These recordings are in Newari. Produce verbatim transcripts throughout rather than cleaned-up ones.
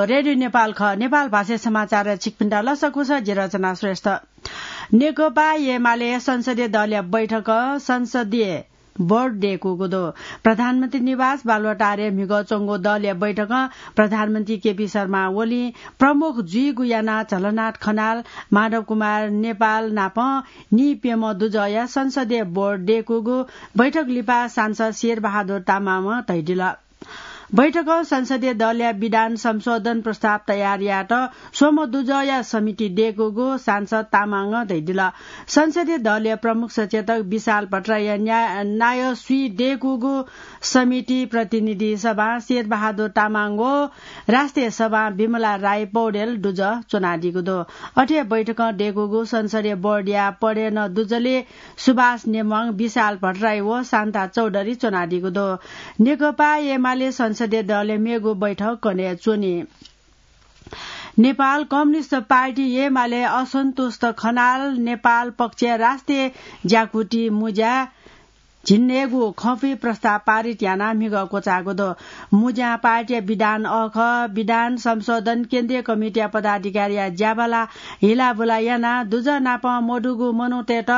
रेडियो नेपाल खः। नेपाल भाषा समाचार छिकपिन्त लसकुस, जि रचना श्रेष्ठ। नेकपा एमाले संसदीय दलया बैठक संसदीय बोर्ड दय्‌कूगु दु। प्रधानमन्त्री निवास बालुवाटारय् म्हिगः च्वंगु दलया बैठकं प्रधानमन्त्री केपी शर्मा ओली प्रमुख जुइगु यानाः झलनाथ खनाल, माधव कुमार नेपाल नाप निप्यम्ह दुजःया संसदीय बोर्ड दय्‌कूगु बैठक लिपा सांसद शेरबहादुर तामाङं धयादिल। बैठकं संसदीय दलया विधान संशोधन प्रस्ताव तयार यायेत स्वम्ह दुजःया समिति दय्‌कूगु सांसद तामाङं धयादिल। संसदीय दलया प्रमुख सचेतक विशाल भट्टराईया न्या-, नायःसुइ दय्‌कूगु समिति प्रतिनिधि सभां शेरबहादुर तामाङ व राष्ट्रिय सभां विमला राई पौडेल दुजः च्वनादीगु दु। अथे बैठकं दय्‌कूगु संसदीय बोर्डया पदेन दुजलय् सुभाष नेमाङ, विशाल भट्टराई व शान्ता चौधरी च्वनादीगु दु। नेकपा एमाले संसदीय दलया मेगु बैठक कन्हय् च्वनी। नेपाल कम्युनिस्ट पार्टी एमाले असन्तुष्ट खनाल नेपाल पक्षया राष्ट्रिय ज्याकुथि मुज्या झिंन्हय्‌गू खँपुइ प्रस्ताव पारित यानाः म्हिगः क्वचाःगु दु। मुज्यां पार्टीया विधान अःखः, विधान संशोधन केन्द्रीय कमिटीया पदाधिकारीया ज्याबाला हिलाबुला यानाः दुजः नाप मदुगु मनूतय्‌त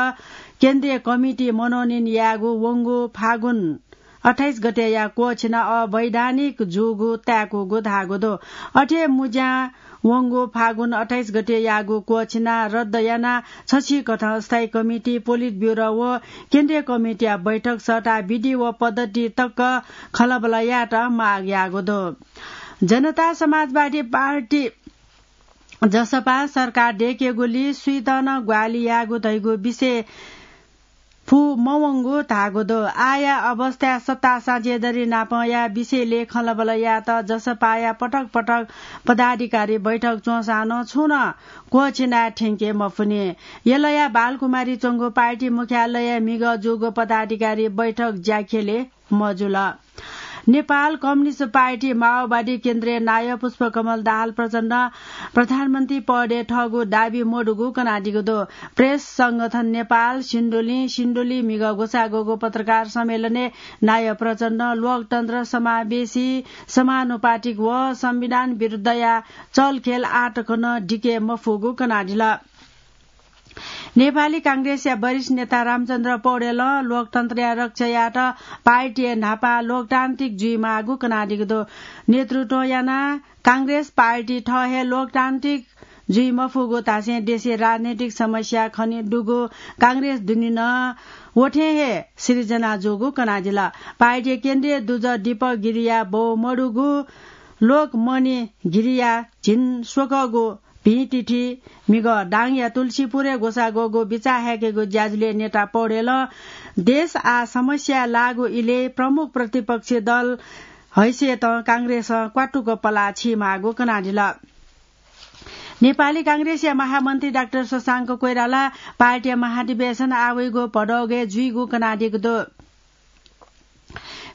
केन्द्रीय कमिटी मनोनयन यायेगु वंगु फागुन अट्ठाइस गतेया क्वःछिना अवैधानिक जूगु ताय्‌कूगु धाःगु दु। अथे मुज्यां वंगु फागुन अट्ठाइस गते याःगु क्वःछिना रद्द यानाः छसिकथं स्थायी कमिटी, पोलिट ब्युरो व केन्द्रीय कमिटीया बैठक सःताः विधि व पद्धति तक खँल्हाबल्हा यायेत माग याःगु दु। जनता समाजवादी पार्टी, जसपा, सरकार दय्‌केगुली सुइत नं ग्वाहालि याःगु धइगु विषय फु मवंगु धाःगु दु। आःया अवस्थाय् सत्ता साझेदारी नापंया विषयलय् खँल्हाबल्हा यायेत जसपाया पटक पटक पदाधिकारी बैठक च्वंसां नं छुं नं क्वःछिनाय् थ्यंके मफुनि। यलया बालकुमारी च्वंगु पार्टी मुख्यालयय् म्हिगः जूगु पदाधिकारी बैठक ज्याख्यलय् मजुल। नेपाल कम्युनिस्ट पार्टी माओवादी केन्द्रया नायः पुष्पकमल दाहाल प्रचण्डं प्रधानमन्त्री पदय् थःगु दाबी मदुगु कनादीगु दु। प्रेस संगठन नेपाल सिन्धुलीं सिन्धुली म्हिगः ग्वसाः ग्वःगु पत्रकार सम्मेलनय् नायः प्रचण्डं लोकतन्त्र, समावेशी, समानुपातिक व संविधान विरुद्धया चलखेल आःतक नं दिके मफुगु कनादिल। नेपाली कांग्रेसया वरिष्ठ नेता रामचन्द्र पौडेलं लोकतन्त्रया रक्षा यायेत पार्टीया न्हापा लोकतान्त्रिक जुइमाःगु कनादीगु दु। नेतृत्व यानाः कांग्रेस पार्टी थः हे लोकतान्त्रिक जुइ मफुगु धासें देशय् राजनैतिक समस्या खने दुगु कांग्रेस दुने नं वथें हे सिर्जना जूगु कनादिल। पार्टीया केन्द्रीय दुजः दीपक गिरिया बौ मदुगु लोकमणि गिरिया झिंस्वकःगु भिंतिथि म्हिगः दाङया तुलसीपुरय् ग्वसाः ग्वःगु बिचाः हाय्‌केगु ज्याझ्वलय् नेता पौडेलं देश आः समस्याय् लाःगु इलय् प्रमुख प्रतिपक्षी दल हैसियतं कांग्रेसं क्वातुक पलाः छिमाःगु कनादिल। नेपाली कांग्रेसया महामन्त्री डाक्टर शशांक कोइराला पार्टीया महाधिवेशन आः वइगु भदौगय् जुइगु कनादीगु दु।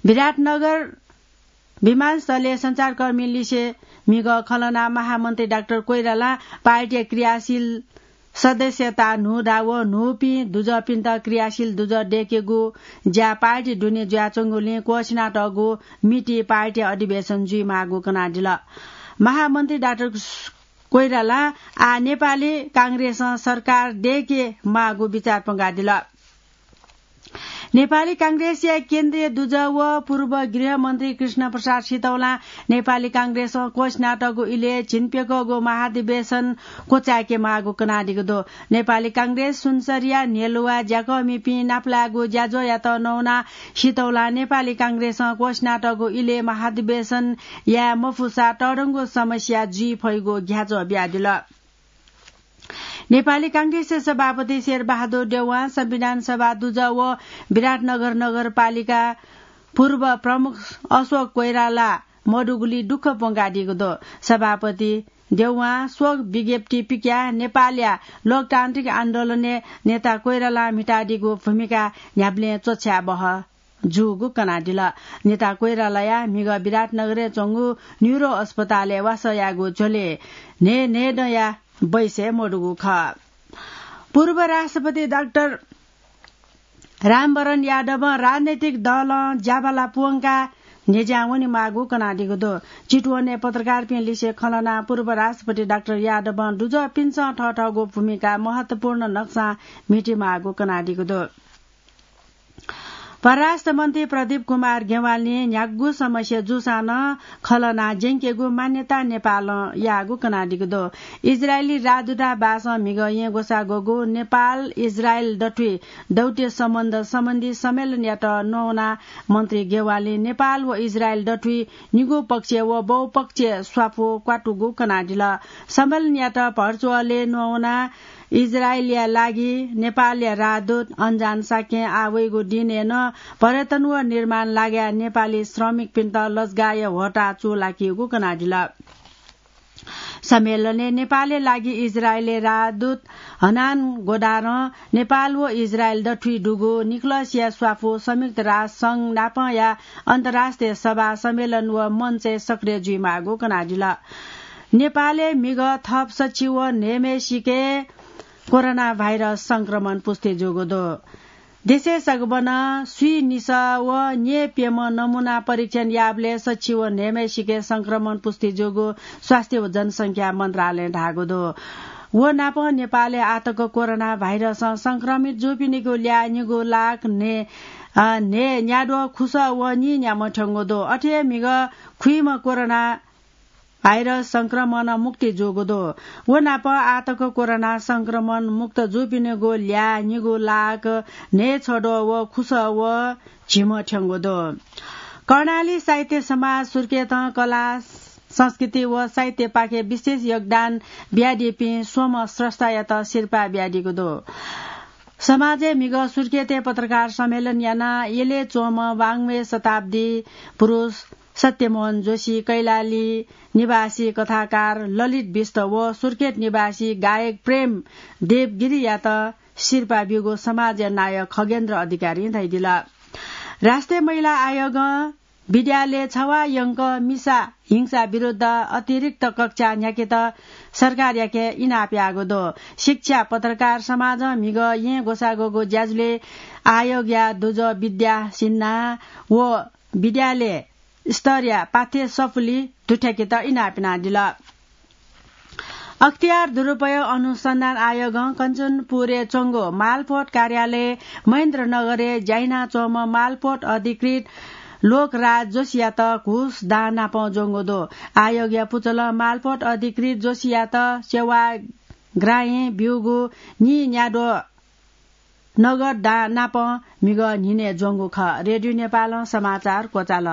विराटनगर विमानस्थलय् सञ्चारकर्मी लिसे म्हिगः खँल्हानाः महामन्त्री डाक्टर कोइरालां पार्टीया क्रियाशील सदस्यता न्हूदा व न्हूपिं दुजःपिन्त क्रियाशील दुजः दय्‌केगु ज्या पार्टी दुने जुयाच्वंगुलिं क्वःछिनातःगु मिति पार्टीया अधिवेशन जुइमाःगु कनादिल। महामन्त्री डाक्टर कोइरालां आः नेपाली कांग्रेसं सरकार दय्‌के माःगु बिचाः प्वंकादिल। नेपाली कांग्रेसया केन्द्रीय दुजः व पूर्व गृहमन्त्री कृष्णप्रसाद सितौलां नेपाली कांग्रेसं क्वःछिनातःगु इलय् झिंप्यकःगु महाधिवेशन क्वचाय्‌के माःगु कनादीगु दु। नेपाली कांग्रेस सुनसरीया न्ह्यलुवा ज्याकःमिपिं नापलायेगु ज्याझ्वःयात नवानाः सितौलां नेपाली कांग्रेसं क्वःछिनातःगु इलय् महाधिवेशन याये मफुसा तःधंगु समस्या जुइ फइगु घ्याच्वः बियादिल। नेपाली कांग्रेसया सभापति शेरबहादुर देउवां संविधान सभा दुजः व विराटनगर नगरपालिका पूर्व प्रमुख अशोक कोइराला मदुगुलिं दुःख प्वंकादीगु दु। सभापति देउवां शोक विज्ञप्ति पिकयाः नेपालया लोकतान्त्रिक आन्दोलनय् नेता कोइरालां म्हितादीगु भूमिका न्ह्याबलें च्वछाये बहः जूगु कनादिल। नेता कोइरालाया म्हिगः विराटनगरय् च्वंगु न्युरो अस्पतालय् वासः याःगु झ्वलय् न्हय् न्हय्दँया बैसय् मदुगु खः। पूर्व राष्ट्रपति डाक्टर रामवरण यादवं राजनैतिक दलं ज्याबाला प्वंकाः न्ह्यज्यां वनेमाःगु कनादीगु दु। चितवनय् पत्रकारपिं लिसे खँ ल्हानाः पूर्व राष्ट्रपति डाक्टर यादवं दुजःपिन्सं थःथःगु भूमिका महत्वपूर्ण नक्सां म्हितेमाःगु कनादीगु दु। परराष्ट्र मन्त्री प्रदीप कुमार ज्ञवालीं न्ह्यागु समस्या जूसां नं खँ ल्हानाः ज्यंकेगु मान्यता नेपालं याःगु कनादीगु दु। इजरायली राजदूतावासं म्हिगः येँ ग्वसाः ग्वःगु नेपाल इजरायल दथुइ दौत्य सम्बन्ध सम्बन्धी सम्मेलनयात न्ववानाः मन्त्री ज्ञवालीं नेपाल व इजरायल दथुइ निगू पक्षीय व बहुपक्षीय स्वापू क्वातुगु कनादिल। सम्मेलनयात भर्चुअलय् न्ववानाः इजरायलया लागि नेपालया राजदूत अन्जान शाक्यं आः वइगु दिनय् नं पर्यटन व निर्माण लागाय् नेपाली श्रमिकपिन्त लजगाःया ह्वःताः चूलाकीगु कनादिल। सम्मेलनय् नेपालया लागि इजरायलया राजदूत हनान गोदारं नेपाल व इजरायल दथुइ दुगु निकलसया स्वापू संयुक्त राष्ट्र संघ नापंया अन्तर्राष्ट्रिय सभा, सम्मेलन व मञ्चय् सक्रिय जुइमाःगु कनादिल। नेपालय् म्हिगः थप सछि व न्हय्म्हय्सिके कोरोना भाइरस संक्रमण पुष्टि जूगु दु। देशय् सगबनं स्वीनिसः व न्यय्प्यम्ह नमूना परीक्षण याःबलय् सछि व न्हय्म्हय्सिके संक्रमण पुष्टि जूगु स्वास्थ्य व जनसंख्या मन्त्रालयं धाःगु दु। व नापं नेपालय् आःतक कोरोना भाइरसं संक्रमित जूपिनिगु ल्याः निगू लाख न्हय्, अ, न्हय् न्याद्वः खुसः व नीन्याम्ह थ्यंगु दु। अथे हे म्हिगः खुइम्ह कोरोना भाइरस संक्रमण मुक्ति जूगु दु। व नाप आःतक कोरोना संक्रमण मुक्त जूपिनिगु ल्याः निगू लाख न्हय् छद्वः व खुसः व झिम्ह थ्यंगु दु। कर्णाली साहित्य समाज सुर्खेतं कला, संस्कृति व साहित्यपाखे विशेष योगदान बियादीपिं स्वम्ह स्रष्टायात सिरपाः बियादीगु दु। समाजय् म्हिगः सुर्खेतय् पत्रकार सम्मेलन यानाः यलय् च्वंम्ह वाङ्मय शताब्दी पुरुष सत्यमोहन जोशी, कैलाली निवासी कथाकार ललित बिष्ट व सुर्खेत निवासी गायक प्रेम देवगिरीयात सिरपाः ब्यूगु समाजया नायः खगेन्द्र अधिकारीं धयादिल। राष्ट्रिय महिला आयोगं विद्यालयय् छवाः यंक मिसा हिंसा विरुद्ध अतिरिक्त कक्षा न्ह्याकेत सरकारयाके इनाप याःगु दु। शिक्षा, पत्रकार समाजं म्हिगः येँ ग्वसाः ग्वःगु ज्याझ्वलय् आयोगया दुजः विद्या सिन्हा व विद्यालय स्तरया पाठ्य सफुली दुथ्याकेत इनाप यानादिल। अख्तियार दुरुपयोग अनुसन्धान आयोगं कञ्चनपुरय् च्वंगु मालपोत कार्यालय महेन्द्रनगरय् ज्या यानाच्वंम्ह मालपोत अधिकृत लोकराज जोशीयात घुस दां नापं ज्वंगु दु। आयोगया पुचलं मालपोत अधिकृत जोशीयात सेवाग्राहीं ब्यूगु नीन्याद्वः नगद दां नापं म्हिगः न्हिनय् ज्वंगु खः। रेडियो नेपालं समाचार क्वचाल।